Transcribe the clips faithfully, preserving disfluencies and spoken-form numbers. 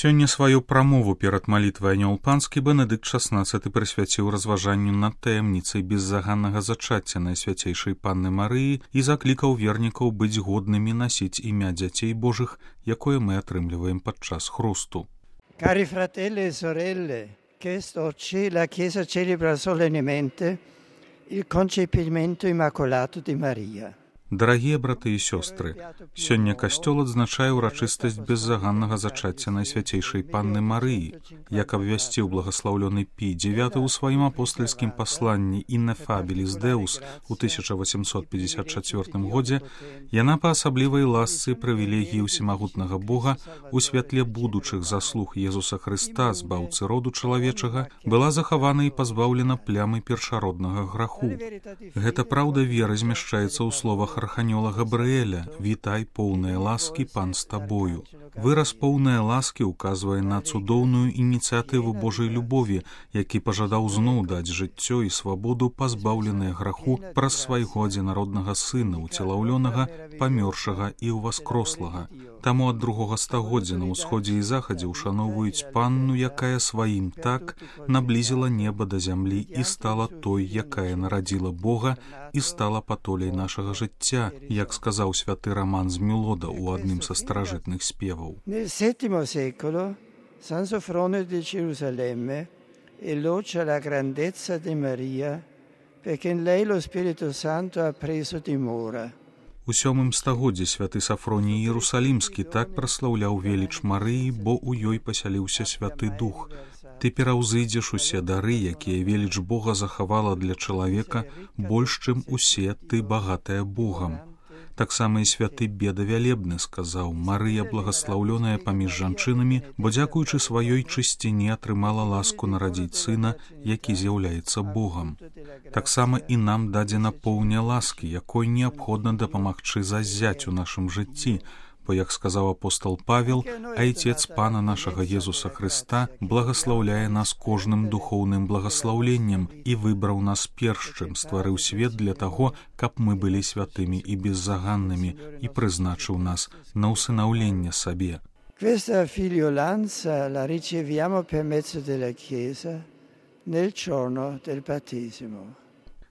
Сёння сваю прамову перад малітвай анёл панскі Бенедыкт шаснаццаты прысвяціў разважанню над таямніцай беззаганнага зачацця Найсвяцейшай Панны Марыі і заклікаў вернікаў быць годнымі насіць імя дзяцей Божых, якое мы атрымліваем падчас хрусту. Cari fratelli e sorelle, quest'oggi la Chiesa celebra solennemente il concepimento immacolato di Maria. Дарагія браты і сёстры, сёння касцёл адзначае ўрачыстасць беззаганнага зачацця Найсвяцейшай Панны Марыі, як абвясціў благаслаўлёны Пій дзевяты ў сваім апостальскім пасланні «Ineffabilis Deus» у тысяча восемьсот пятьдесят чацвёртым годзе, яна па асаблівай ласцы і прывілегіі ўсемагутнага Бога у святле будучых заслуг Езуса Хрыста, збаўцы роду чалавечага, была захавана і пазбаўлена плямы першароднага граху. Гэта праўда веры змяшчаецца ў словах арханёла Габрыэля «Вітай, поўныя ласкі, пан з табою». Выраз «поўныя ласкі» указвае на цудоўную ініцыятыву Божай любові, які пажадаў зноў даць жыццё і свабоду пазбаўленыя граху праз свайго адзінароднага сына, уцелаўлёнага, памёршага і ўваскрослага. Таму ад другога стагоддзя на ўсходзе і захадзе ушаноўваюць панну, якая сваім так наблізіла неба да зямлі і стала той, якая нарадзіла Бога і стала патоляй нашага жыцця, як сказаў святы Роман з Мілода ў адным са старажытных спеваў. Nel settimo secolo San Sofronio di Gerusalemme elogia la grandezza di Maria perché in lei lo Spirito Santo ha preso dimora. У сёмым стагоддзі святы Сафроній Іерусалімскі так праслаўляў веліч Марыі, бо ў ёй пасяліўся святы дух. Ты пераўзыдзеш усе дары, якія веліч Бога захавала для чалавека, больш, чым усе ты багатая Богам. Таксама і святы Беда Вялебны сказаў: Марыя благаслаўлёная паміж жанчынамі, бо дзякуючы сваёй чысціні атрымала ласку нарадзіць сына, які з'яўляецца Богам. Таксама і нам дадзена поўня ласкі, якой неабходна дапамагчы заззяць у нашым жыцці, бо, як сказаў апостол Павел, Айцец Пана нашага Езуса Хрыста благаслаўляе нас кожным духоўным благаслаўленнем і выбраў нас першым, стварыў свет для таго, каб мы былі святымі і беззаганнымі, і прызначыў нас на ўсынаўленне сабе. Questa figliolanza la riceviamo per mezzo della Chiesa nel giorno del battesimo.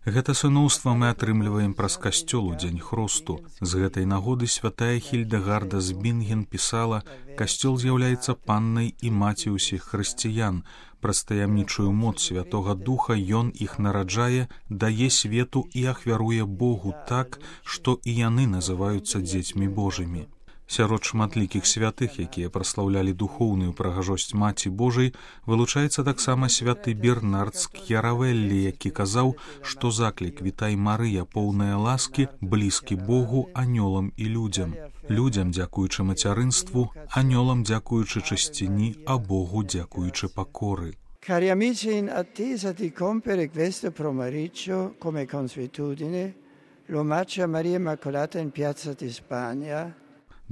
Гэта сыноўства мы атрымліваем праз касцёл у дзень хрусту. З гэтай нагоды святая Хільдэгарда з Бінген пісала: «Касцёл з'яўляецца паннай і маці ўсіх хрысціян. Праз таямнічую моц Святога Духа ён іх нараджае, дае свету і ахвяруе Богу так, што і яны называюцца дзецьмі Божымі». Сярод шматлікіх святых, якія праслаўлялі духоўную прыгажосць Маці Божай, вылучаецца таксама святы Бернард з К'яравеллі, які казаў, што заклік «Вітай, Марыя, поўная ласкі» блізкі Богу, анёлам і людзям. Людзям дзякуючы мацярынству, анёлам дзякуючы чысціні, а Богу дзякуючы пакоры. Cari amici, in attesa di compiere questo pomeriggio, come consuetudine, l'omaggio a Maria Immacolata in Piazza di Spagna.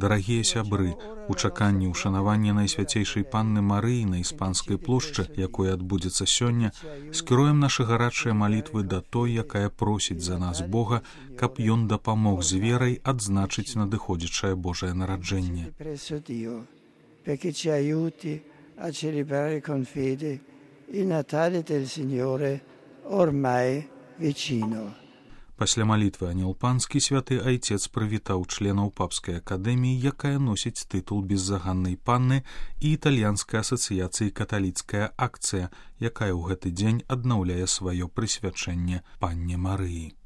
Дарагія сябры, у чаканні ўшанавання Найсвяцейшай Панны Марыі на Іспанскай плошчы, якое адбудзецца сёння, скіруем нашы гарачыя малітвы да той, якая просіць за нас Бога, каб ён дапамог з верай адзначыць надыходзячае Божае нараджэнне. Perché ci aiuti a celebrare con fede il Natale del Signore ormai vicino. Пасля малітвы анёл панскі святы айцец прывітаў членаў папскай акадэміі, якая носіць тытул беззаганнай панны, і італьянскай асацыяцыі каталіцкая акцыя, якая ў гэты дзень аднаўляе сваё прысвячэнне панне Марыі.